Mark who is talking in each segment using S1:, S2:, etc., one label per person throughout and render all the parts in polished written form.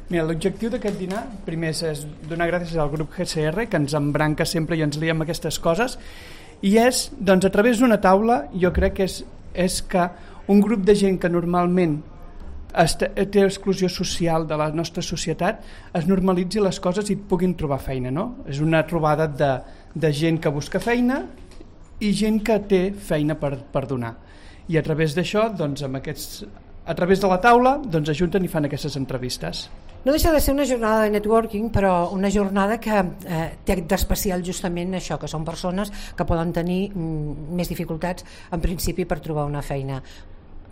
S1: Mira, l'objectiu d'aquest dinar, primer és donar gràcies al grup GCR, que ens embranca sempre i ens liem aquestes coses, i és, doncs, a través d'una taula, jo crec que és que un grup de gent que normalment té exclusió social de la nostra societat es normalitzi les coses i puguin trobar feina, no? És una trobada de gent que busca feina i gent que té feina per donar. I a través d'això, doncs, a través de la taula, doncs, ajunten i fan aquestes entrevistes.
S2: No deixa de ser una jornada de networking, però una jornada que té d'especial justament això, que són persones que poden tenir més dificultats en principi per trobar una feina.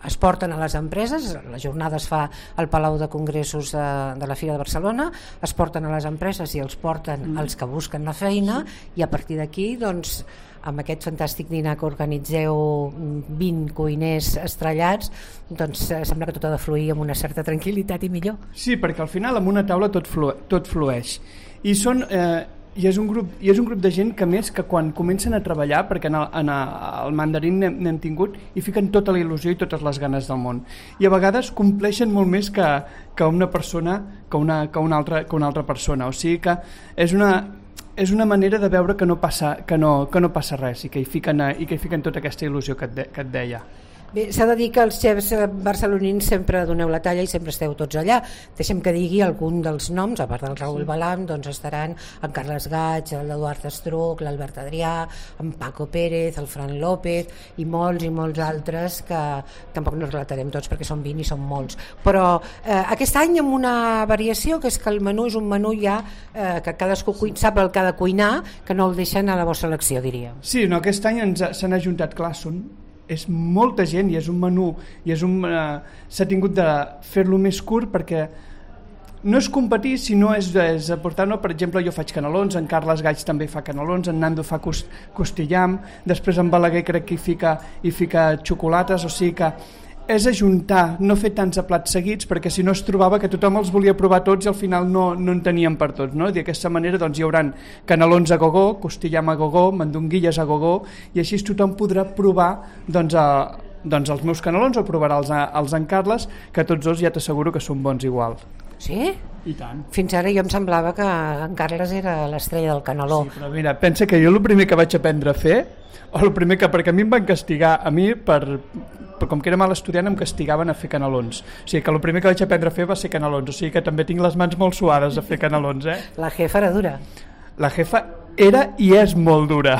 S2: Es porten a les empreses, la jornada es fa al Palau de Congressos de la Fira de Barcelona, es porten a les empreses i els porten els que busquen la feina, i a partir d'aquí, doncs, amb aquest fantàstic dinar que organitzeu 20 cuiners estrellats, doncs sembla que tot ha de fluir amb una certa tranquil·litat i millor.
S1: Sí, perquè al final amb una taula tot flueix. I és un grup de gent que, més, que quan comencen a treballar, perquè al mandarín n'hem tingut, i fiquen tota la il·lusió i totes les ganes del món. I a vegades compleixen molt més que una persona, que una altra persona. O sigui que és una manera de veure que no passa res i que hi fiquen tota aquesta il·lusió que et deia.
S2: Bé, s'ha de dir que els xefs barcelonins sempre doneu la talla i sempre esteu tots allà. Deixem que digui algun dels noms, a part del Raül Balam, doncs estaran en Carles Gaig, l'Eduard Estruc, l'Albert Adrià, en Paco Pérez, el Fran López i molts altres que tampoc no relatarem tots perquè són 20 i són molts. Però aquest any amb una variació, que és que el menú és un menú ja que cadascú sap el que ha de cuinar, que no el deixen a la vostra elecció, diria.
S1: Sí, no, aquest any s'han ajuntat, clar, és molta gent i és un menú i s'ha tingut de fer-lo més curt perquè no és competir, sinó és aportar, no? Per exemple, jo faig canelons, en Carles Gaig també fa canelons, en Nando fa costillam, després en Balaguer crec que hi fica xocolates, o sigui que és ajuntar, no fer tants plats seguits, perquè si no es trobava que tothom els volia provar tots i al final no en teníem per tots, no? D'aquesta manera doncs, hi haurà canelons a gogó, costillam a gogó, mandonguilles a gogó, i així tothom podrà provar doncs els meus canelons, o provarà els en Carles, que tots dos ja t'asseguro que són bons igual.
S2: Sí?
S1: I tant.
S2: Fins ara jo em semblava que en Carles era l'estrella del caneló.
S1: Sí, però mira, pensa que jo el primer que vaig aprendre a fer, perquè a mi em van castigar, com que era mal estudiant em castigaven a fer canelons, o sigui que el primer que vaig aprendre a fer va ser canelons, o sigui que també tinc les mans molt suades a fer canelons.
S2: La jefa era dura.
S1: La jefa era i és molt dura.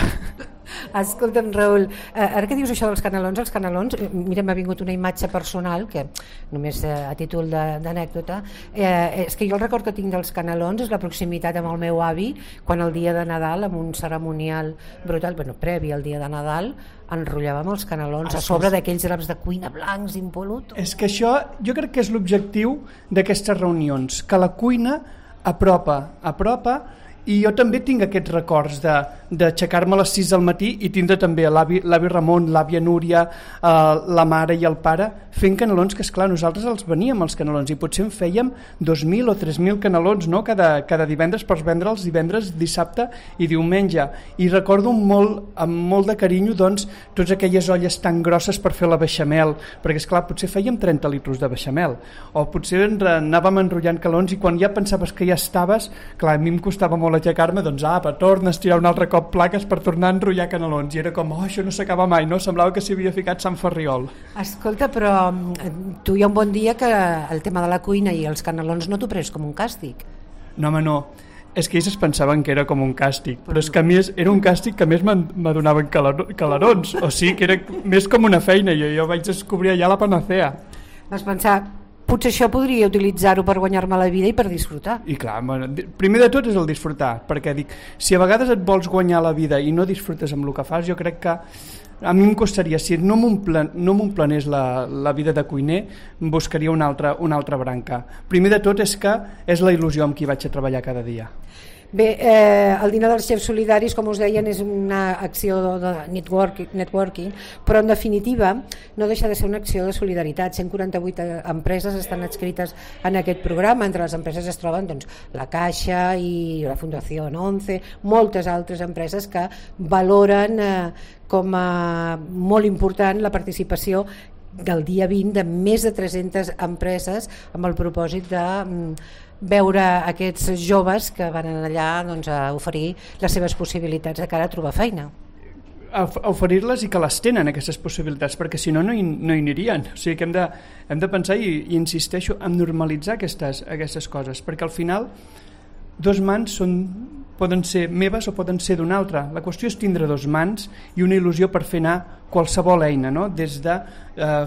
S2: Escolta'm, Raül, ara que dius això dels canelons, mira, m'ha vingut una imatge personal que només a títol d'anècdota, és que jo el record que tinc dels canelons és la proximitat amb el meu avi quan el dia de Nadal, amb un cerimonial brutal, previ al dia de Nadal, enrotllàvem els canelons a sobre d'aquells draps de cuina blancs impol·lutos. És
S1: que això jo crec que és l'objectiu d'aquestes reunions, que la cuina apropa. I jo també tinc aquests records d'aixecar-me a les 6 del matí i tindre també l'avi Ramon, l'àvia Núria, la mare i el pare fent canelons, que esclar, nosaltres els veníem els canelons i potser en fèiem 2.000 o 3.000 canelons, no? cada divendres per vendre'ls divendres, dissabte i diumenge, i recordo amb molt de carinyo doncs, totes aquelles olles tan grosses per fer la beixamel, perquè esclar, potser fèiem 30 litres de beixamel, o potser anàvem enrotllant canelons i quan ja pensaves que ja estaves, clar, a mi em costava molt aixecar-me, doncs torna a estirar un altre cop plaques per tornar a enrotllar canelons, i era com, això no s'acaba mai, no? Semblava que s'hi havia ficat Sant Ferriol.
S2: Escolta, però tu hi ha un bon dia que el tema de la cuina i els canelons no t'ho prens com un càstig.
S1: No, home, no. És que ells es pensaven que era com un càstig, però és que a mi era un càstig que a més m'adonaven calarons, o sigui que era més com una feina, i jo vaig descobrir allà la panacea.
S2: Vas pensar, potser això podria utilitzar-ho per guanyar-me la vida i per disfrutar.
S1: I clar, primer de tot és el disfrutar, perquè dic, si a vegades et vols guanyar la vida i no disfrutes amb el que fas, jo crec que a mi em costaria, si no m'omplenés la vida de cuiner, em buscaria una altra branca. Primer de tot és que és la il·lusió amb qui vaig a treballar cada dia.
S2: Bé, el dinar dels xefs solidaris, com us deien, és una acció de networking, però en definitiva no deixa de ser una acció de solidaritat. 148 empreses estan adscrites en aquest programa. Entre les empreses es troben doncs, la Caixa i la Fundació 11, moltes altres empreses que valoren com a molt important la participació del dia 20 de més de 300 empreses amb el propòsit veure aquests joves que van allà doncs, a oferir les seves possibilitats de cara a trobar feina.
S1: A oferir-les i que les tenen aquestes possibilitats, perquè si no no hi anirien. O sigui que hem de pensar i insisteixo en normalitzar aquestes coses, perquè al final dos mans poden ser meves o poden ser d'una altra. La qüestió és tindre dos mans i una il·lusió per fer anar qualsevol eina, no? Des de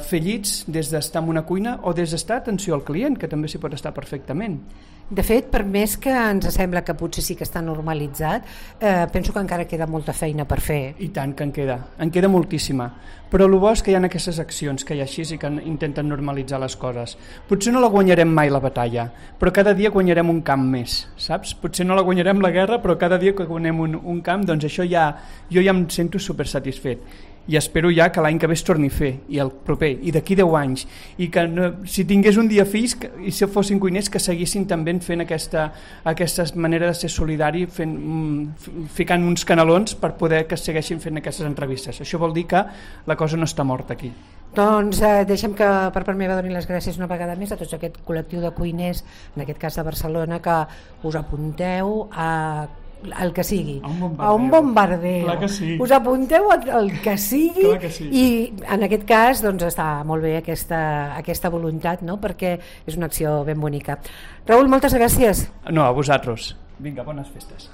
S1: fer llits, des d'estar en una cuina o des d'estar atenció al client, que també s'hi pot estar perfectament.
S2: De fet, per més que ens sembla que potser sí que està normalitzat, penso que encara queda molta feina per fer.
S1: I tant que en queda moltíssima. Però el bo és que hi ha aquestes accions que hi ha així i que intenten normalitzar les coses. Potser no la guanyarem mai la batalla, però cada dia guanyarem un camp més, saps? Potser no la guanyarem la guerra, però cada dia que guanyem un camp, doncs això jo ja em sento super satisfet. I espero ja que l'any que ve es torni a fer, i el proper, i d'aquí 10 anys, i que si tingués un dia fills i si fossin cuiners que seguissin també fent aquesta manera de ser solidari, ficant uns canelons per poder que segueixin fent aquestes entrevistes. Això vol dir que la cosa no està morta aquí.
S2: Doncs deixem que per part meva doni les gràcies una vegada més a tots aquest col·lectiu de cuiners, en aquest cas de Barcelona, que us apunteu a el que sigui, a un bombardeo.
S1: Clar que sí.
S2: Us apunteu al que sigui,
S1: que sí.
S2: I en aquest cas doncs, està molt bé aquesta voluntat, no? Perquè és una acció ben bonica. Raül, moltes gràcies.
S1: No, a vosaltres. Vinga, bones festes.